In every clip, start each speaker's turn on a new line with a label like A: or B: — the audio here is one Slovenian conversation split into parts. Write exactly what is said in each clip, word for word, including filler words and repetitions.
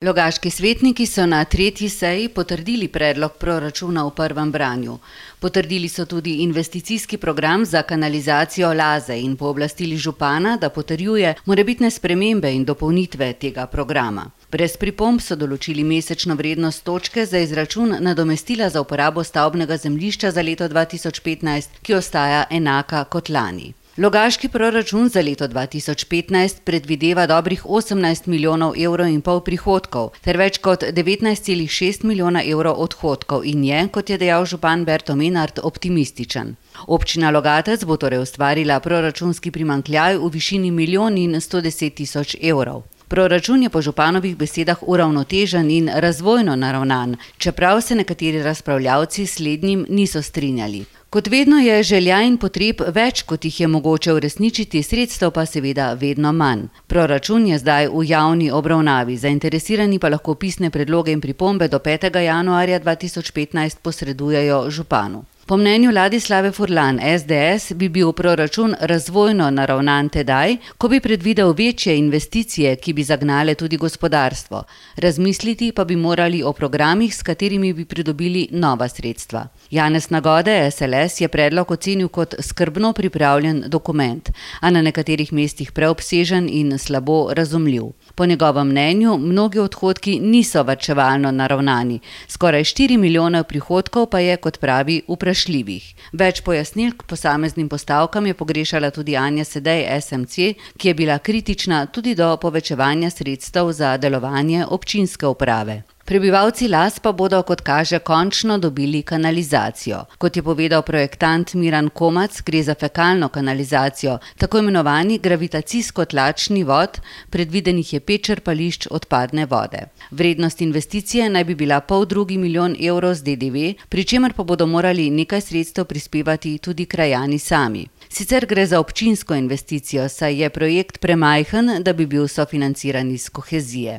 A: Logaški svetniki so na tretji seji potrdili predlog proračuna v prvem branju. Potrdili so tudi investicijski program za kanalizacijo Laze in pooblastili župana, da potrjuje morebitne spremembe in dopolnitve tega programa. Brez pripomb so določili mesečno vrednost točke za izračun nadomestila za uporabo stavbnega zemljišča za leto dva tisoč petnajst, ki ostaja enaka kot lani. Logaški proračun za leto dva tisoč petnajst predvideva dobrih osemnajst milijonov evrov in pol prihodkov ter več kot devetnajst celih šest milijona evrov odhodkov in je, kot je dejal župan Berto Menart, optimističen. Občina Logatec bo torej ustvarila proračunski primanjkljaj v višini milijon in sto deset tisoč evrov. Proračun je po županovih besedah uravnotežen in razvojno naravnan, čeprav se nekateri razpravljavci s slednjim niso strinjali. Kot vedno je želja in potreb več, kot jih je mogoče uresničiti, sredstev pa seveda vedno manj. Proračun je zdaj v javni obravnavi, zainteresirani pa lahko pisne predloge in pripombe do petega januarja dva tisoč petnajst posredujejo županu. Po mnenju Ladislave Furlan S D S bi bil proračun razvojno naravnan tedaj, ko bi predvidel večje investicije, ki bi zagnale tudi gospodarstvo. Razmisliti pa bi morali o programih, s katerimi bi pridobili nova sredstva. Janez Nagode S L S je predlog ocenil kot skrbno pripravljen dokument, a na nekaterih mestih preobsežen in slabo razumljiv. Po njegovem mnenju mnogi odhodki niso varčevalno naravnani, skoraj štiri milijone prihodkov pa je, kot pravi, vprašljivih. Več pojasnil k posameznim postavkam je pogrešala tudi Anja Sedej S M C, ki je bila kritična tudi do povečevanja sredstev za delovanje občinske uprave. Prebivalci Las pa bodo, kot kaže, končno dobili kanalizacijo. Kot je povedal projektant Miran Komac, gre za fekalno kanalizacijo, tako imenovani gravitacijsko-tlačni vod, predvidenih je pet črpališč odpadne vode. Vrednost investicije naj bi bila pol drugi milijon evrov z D D V, pri čemer pa bodo morali nekaj sredstev prispevati tudi krajani sami. Sicer gre za občinsko investicijo, saj je projekt premajhen, da bi bil sofinanciran iz kohezije.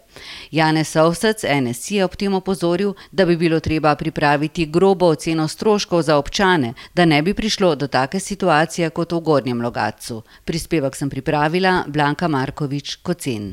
A: Janez Ovsec N S I je ob tem opozoril, da bi bilo treba pripraviti grobo oceno stroškov za občane, da ne bi prišlo do take situacije kot v Gornjem Logatcu. Prispevek sem pripravila Blanka Markovič Kocen.